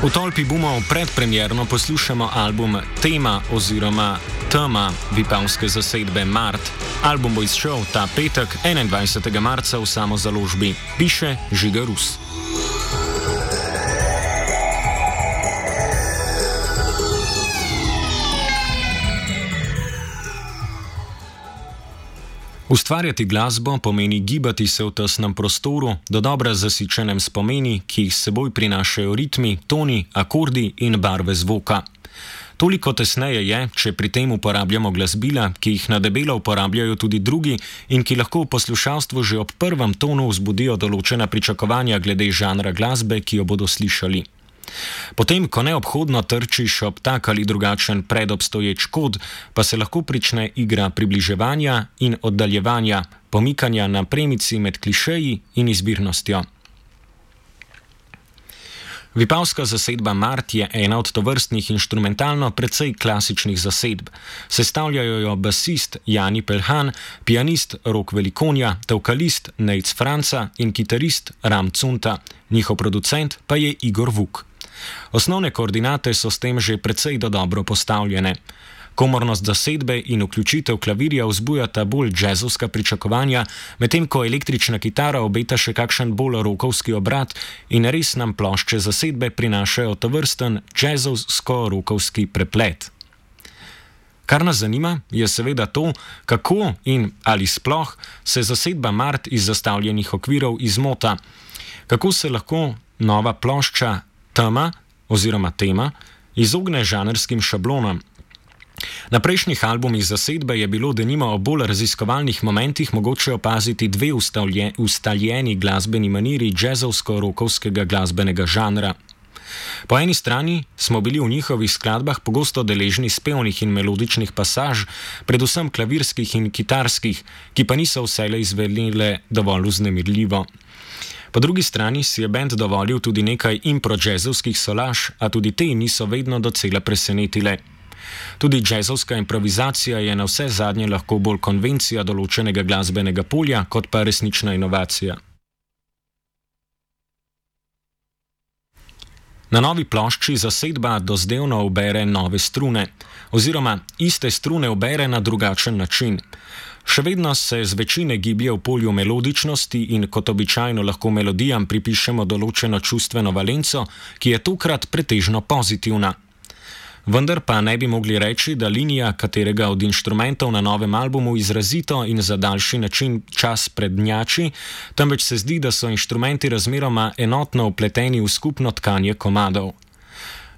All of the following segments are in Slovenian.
V Tolpi bumov predpremierno poslušamo album Tema oziroma Tema vipavske zasedbe Mart. Album bo izšel ta petek, 21. marca v samozaložbi. Piše Žiga Rus. Ustvarjati glasbo pomeni gibati se v tesnem prostoru, dodobra zasičenem s pomeni, ki jih s seboj prinašajo ritmi, toni, akordi in barve zvoka. Toliko tesneje je, če pri tem uporabljamo glasbila, ki jih na debelo uporabljajo tudi drugi in ki lahko v poslušalstvu že ob prvem tonu vzbudijo določena pričakovanja glede žanra glasbe, ki jo bodo slišali. Potem, ko neobhodno trčiš ob tak ali drugačen predobstoječ kod, pa se lahko prične igra približevanja in oddaljevanja, pomikanja na premici med klišeji in izbirnostjo. Vipavska zasedba Mart je ena od tovrstnih inštrumentalno precej klasičnih zasedb. Sestavljajo jo basist Jani Pelhan, pianist Rok Velikonja, tevkalist Nejc Franca in kitarist Ram Cunta. Njihov producent pa je Igor Vuk. Osnovne koordinate so s tem že precej dobro postavljene. Komornost zasedbe in vključitev klavirja vzbujata bolj džezovska pričakovanja, medtem ko električna kitara obeta še kakšen bolj rokovski obrat in res nam plošče zasedbe prinašajo tovrsten džezovsko-rokovski preplet. Kar nas zanima, je seveda to, kako in ali sploh se zasedba Mart iz zastavljenih okvirov izmota. Kako se lahko nova plošča Tema oziroma Tema izogne žanrskim šablonam. Na prejšnjih albumih zasedbe je bilo denimo o bolj raziskovalnih momentih mogoče opaziti dve ustaljeni glasbeni maniri džezovsko-rokovskega glasbenega žanra. Po eni strani smo bili v njihovih skladbah pogosto deležni spevnih in melodičnih pasaž, predvsem klavirskih in kitarskih, ki pa niso vselej izvedle dovolj vznemirljivo. Po drugi strani si je bend dovolil tudi nekaj impro-džezovskih solaž, a tudi te niso vedno docela presenetile. Tudi džezovska improvizacija je na vse zadnje lahko bolj konvencija določenega glasbenega polja, kot pa resnična inovacija. Na novi plošči zasedba dozdevno ubere nove strune, oziroma iste strune ubere na drugačen način. Še vedno se z večine giblje v polju melodičnosti in kot običajno lahko melodijam pripišemo določeno čustveno valenco, ki je tokrat pretežno pozitivna. Vendar pa ne bi mogli reči, da linija katerega od inštrumentov na novem albumu izrazito in za daljši način čas prednjači, temveč se zdi, da so inštrumenti razmeroma enotno vpleteni v skupno tkanje komadov.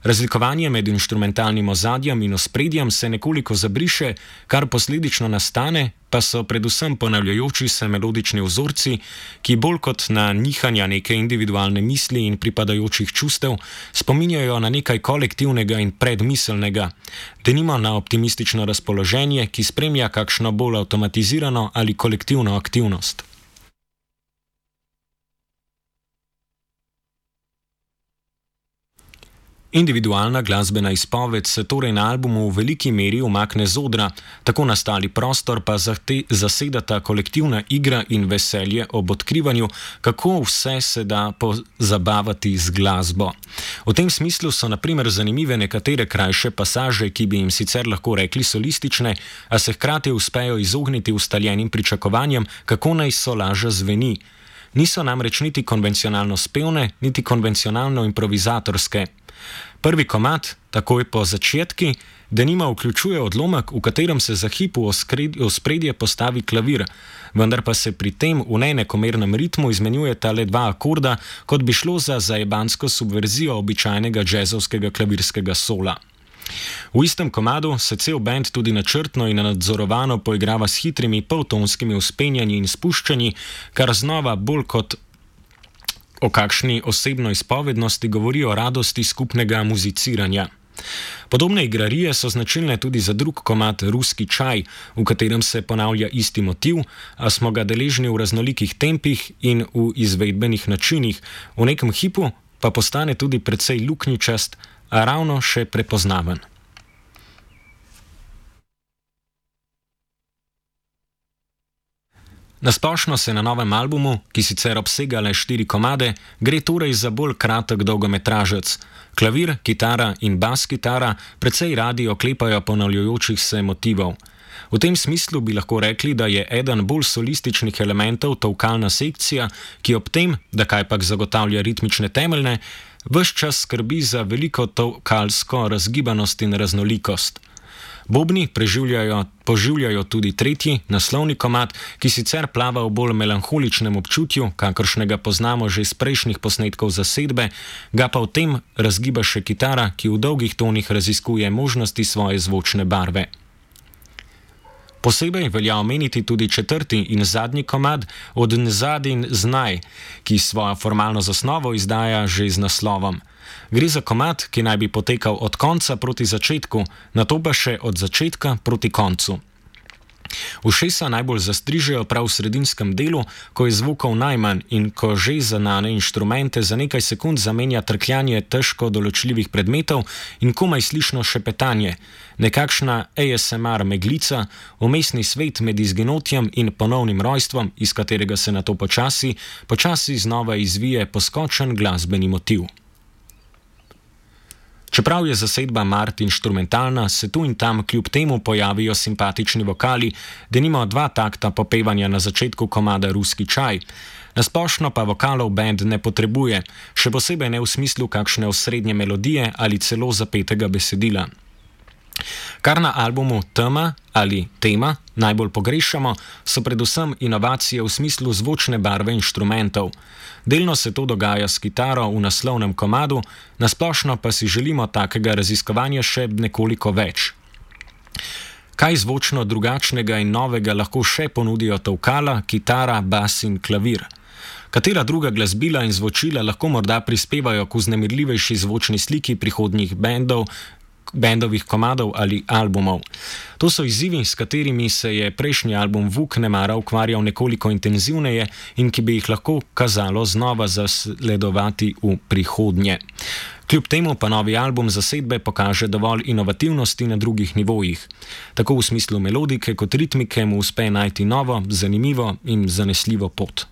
Razlikovanje med inštrumentalnim ozadjem in ospredjem se nekoliko zabriše, kar posledično nastane, pa so predvsem ponavljajoči se melodični vzorci, ki bolj kot na nihanja neke individualne misli in pripadajočih čustev spominjajo na nekaj kolektivnega in predmiselnega, denimo na optimistično razpoloženje, ki spremlja kakšno bolj avtomatizirano ali kolektivno aktivnost. Individualna glasbena izpoved se torej na albumu v veliki meri umakne z odra, tako nastali prostor pa zasedata kolektivna igra in veselje ob odkrivanju, kako vse se da pozabavati z glasbo. V tem smislu so na primer zanimive nekatere krajše pasaže, ki bi jim sicer lahko rekli solistične, a se hkrati uspejo izogniti ustaljenim pričakovanjem, kako naj solaža zveni. Niso namreč niti konvencionalno spevne, niti konvencionalno improvizatorske. Prvi komad, takoj po začetki, denimo vključuje odlomek, v katerem se za hip v ospredje postavi klavir, vendar pa se pri tem v neenakomernem ritmu izmenjujeta le dva akorda, kot bi šlo za zajebansko subverzijo običajnega džezovskega klavirskega sola. V istem komadu se cel bend tudi načrtno in nadzorovano poigrava s hitrimi poltonskimi vzpenjanji in spuščanji, kar znova bolj kot o kakšni osebno izpovednosti govori o radosti skupnega muziciranja. Podobne igrarije so značilne tudi za drug komad Ruski čaj, v katerem se ponavlja isti motiv, a smo ga deležni v raznolikih tempih in v izvedbenih načinih, v nekem hipu pa postane tudi precej luknjičast, a ravno še prepoznaven. Nasplošno se na novem albumu, ki sicer obsega le 4 komade, gre torej za bolj kratek dolgometražec. Klavir, kitara in bas kitara precej radi oklepajo ponavljajočih se motivov. V tem smislu bi lahko rekli, da je eden bolj solističnih elementov tolkalna sekcija, ki ob tem, da kajpak zagotavlja ritmične temeljne, ves čas skrbi za veliko tolkalsko razgibanost in raznolikost. Bobni poživljajo tudi tretji, naslovni komad, ki sicer plava v bolj melanholičnem občutju, kakršnega poznamo že iz prejšnjih posnetkov zasedbe, ga pa v tem razgiba še kitara, ki v dolgih tonih raziskuje možnosti svoje zvočne barve. Posebej velja omeniti tudi četrti in zadnji komad Od Nezadin Znaj, ki svojo formalno zasnovo izdaja že z naslovom. Gre za komad, ki naj bi potekal od konca proti začetku, nato pa še od začetka proti koncu. Ušesa najbolj zastrižejo prav v sredinskem delu, ko je zvukov najmanj in ko že zanane inštrumente za nekaj sekund zamenja trkljanje težko določljivih predmetov in komaj slišno šepetanje, nekakšna ASMR meglica, vmesni svet med izginotjem in ponovnim rojstvom, iz katerega se nato počasi znova izvije poskočen glasbeni motiv. Čeprav je zasedba Mart inštrumentalna, se tu in tam kljub temu pojavijo simpatični vokali, denimo 2 takta popevanja na začetku komada Ruski čaj. Nasplošno pa vokalov band ne potrebuje, še posebej ne v smislu kakšne osrednje melodije ali celo zapetega besedila. Kar na albumu Tema ali Tema najbolj pogrešamo, so predvsem inovacije v smislu zvočne barve inštrumentov. Delno se to dogaja s kitaro v naslovnem komadu, nasplošno pa si želimo takega raziskovanja še nekoliko več. Kaj zvočno drugačnega in novega lahko še ponudijo tolkala, kitara, bas in klavir? Katera druga glasbila in zvočila lahko morda prispevajo k vznemirljivejši zvočni sliki prihodnjih bendovih komadov ali albumov? To so izzivi, s katerimi se je prejšnji album Vuk nemara ukvarjal nekoliko intenzivneje in ki bi jih lahko kazalo znova zasledovati v prihodnje. Kljub temu pa novi album zasedbe pokaže dovolj inovativnosti na drugih nivojih. Tako v smislu melodike kot ritmike mu uspe najti novo, zanimivo in zanesljivo pot.